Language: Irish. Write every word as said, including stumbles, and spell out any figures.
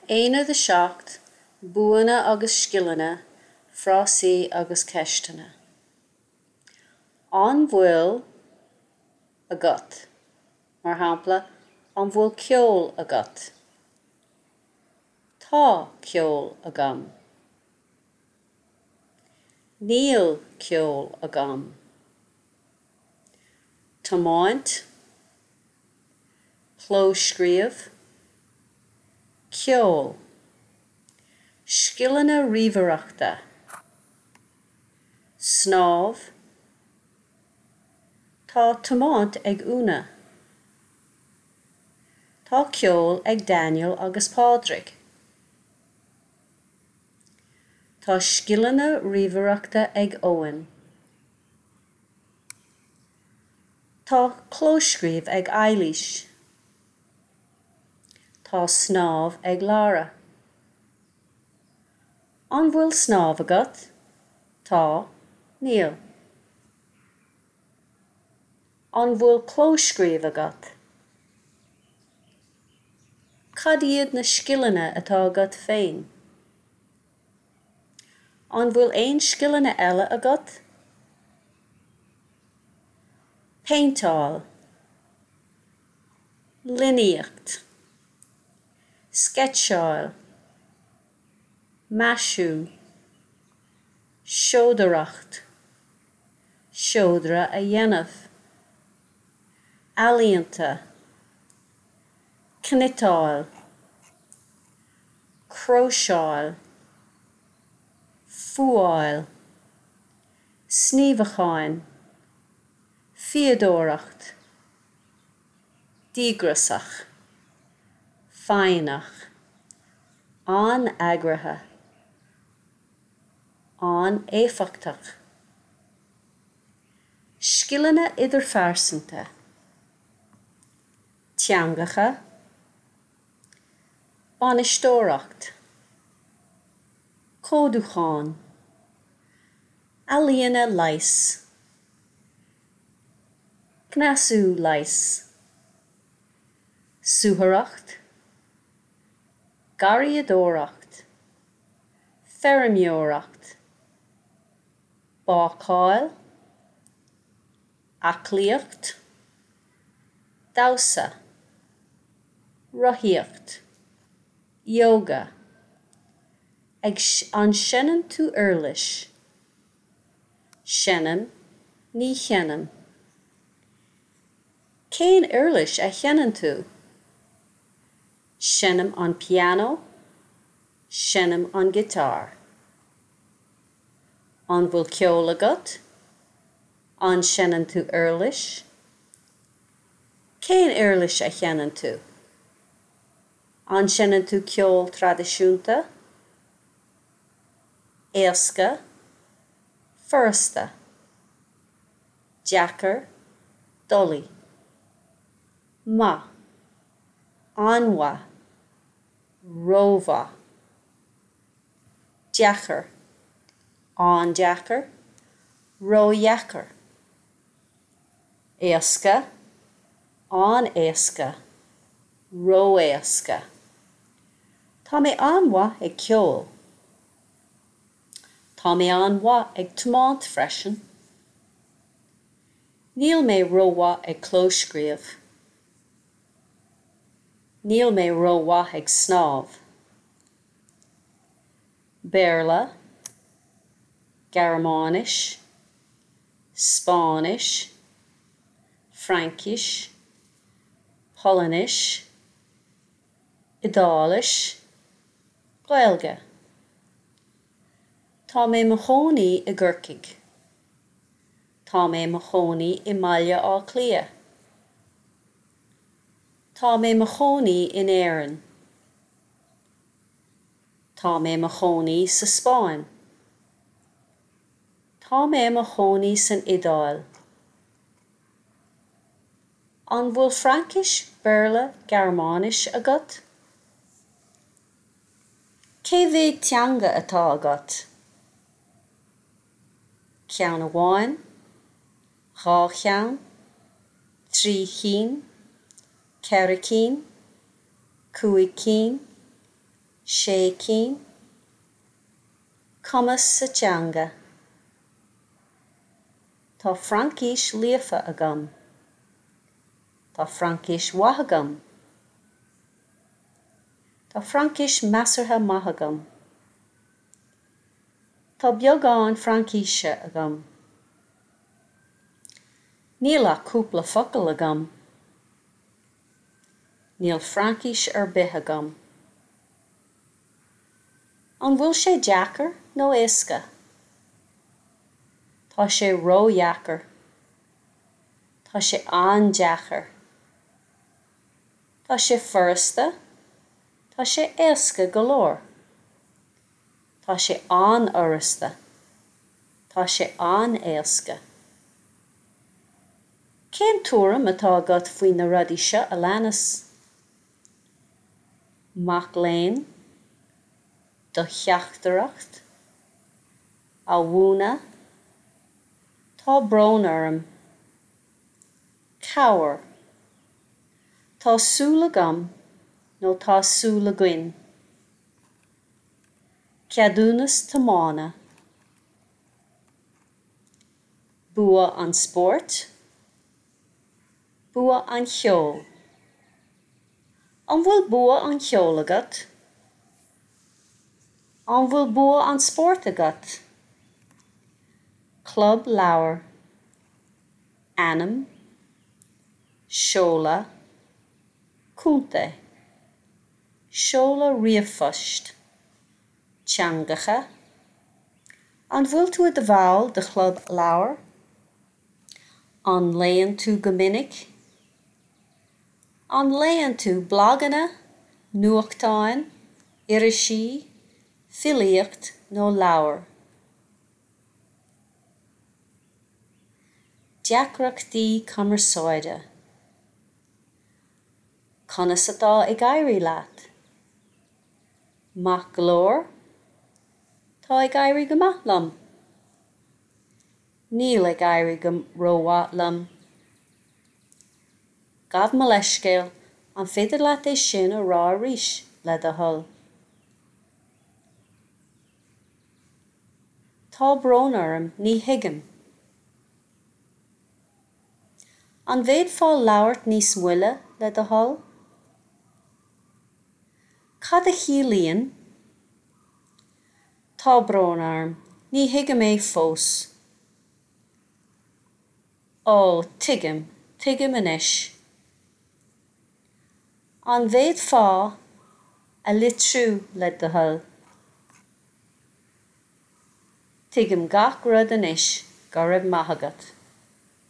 Aonad a seacht, Buanna agus scileanna, frásaí agus ceisteanna. An bhfuil agat? Mar shampla, an bhfuil ceol agat? Tá ceol agam. Níl ceol agam. Tiomáint, clóscríobh, ceol, scileanna ríomhaireachta, snámh, Tá tiomáint ag Úna. Tá ceol ag Daniel agus Pádraig. Tá scileanna ríomhaireachta ag Eoin. Tá clóscríobh ag Eilís. Tá snámh ag Lara. An bhfuil snámh agat? Tá, níl. An bhfuil clóscríobh agat? Cad iad na scileanna atá agat féin? An bhfuil aon scileanna eile agat? Péinteáil, líníocht, sceitseáil, maisiú, seodóireacht, seodra a dhéanamh, ealaíonta, cniotáil, cróiseáil, fuáil, sníomhacháin, fíodóireacht, díograiseach, foighneach, an-eagraithe, an-éifeachtach. Scileanna idirphearsanta, teangacha, bainisteoireacht, códúchán, ealaíona leighis, cneasú leighis, suathaireacht, garraíodóireacht, feirmeoireacht, bácáil, aclaíocht, damhsa, rothaíocht, ióga, ag an seinneann tú uirlis, seinnim, ní sheinnim. Cén uirlis a sheinneann tú? Seinnim an pianó, seinnim an giotár. An bhfuil ceol agat? An seinneann tú uirlis? Cén uirlis a sheinneann tú? An seinneann tú ceol traidisiúnta? Éasca, furasta, deacair, doiligh, maith, an-mhaith, rómhaith, deacair, an-deacair, ródheacair, éasca, an-éasca, ró-éasca. Tá mé an-mhaith ag ceol. Tá mé an-mhaith ag tiomáint freisin. Níl mé rómhaith ag clóscríobh. Níl mé rómhaith ag snámh. Béarla, Gearmáinis, Spáinnis, Fraincis, Polainnis, Iodáilis, Gaeilge. Tá mé i mo chónaí i gCorcaigh. Tá mé i mo chónaí i mBaile Átha Cliath. Tá mé i mo chónaí in Éirinn. Tá mé i mo chónaí sa Spáinn. Tá mé i mo chónaí san Iodáil. An bhfuil Fraincis, Béarla, Gearmáinis agat? Cé mhéad teanga atá agat? Ceann amháin, dhá cheann, trí chinn, ceithre cinn, cúig cinn, Sé cinn. Cumas sa teanga. Tá Fraincis líofa agam. Tá Fraincis mhaith agam. Tá Fraincis measartha maith agam. Tá beagán Fraincise agam. Níl ach cúpla focal agam. Níl Fraincis ar bith agam. An bhfuil sé deacair nó éasca? Tá sé ródheacair. Tá sé an-deacair. Tá sé furasta, Tá sé éasca go leor. Tá sé an-fhurasta. Tá sé an-éasca. Cén tuairim atá agat faoi na rudaí seo a leanas? Mac léinn, do theachtaireacht, a mhúineadh, Tá brón orm. Cabhair. Tá súil agam nó tá súil againn. Ceadúnas tiomána. Bua an spóirt. Bua an cheoil. An bhfuil bua an cheoil agat? An bhfuil bua an spóirt agat? Club leabhar. Ainm. Seoladh. Contae. Seoladh ríomhphoist. Teangacha. An bhfuil tú i do bhall de chlub leabhar? An léann tú go minic? An léann tú blaganna, nuachtáin, irisí, filíocht nó leabhair? Deacrachtaí cumarsáide. Conas atá ag éirí leat? Maith go leor? Tá ag éirí go maith liom. Níl ag éirí go rómhaith liom. Gabh mo leithscéal, an féidir leat é sin a rá arís, le do thoil? Tá brón orm, ní thuigim. An bhféadfá labhairt níos moille, le do thoil? Cad a chiallaíonn? Tá brón orm, ní thuigim é fós. Ó, tuigim, tuigim anois. An bhféadfá a litriú le do thoil? Tuigim gach rud anois, go raibh maith agat.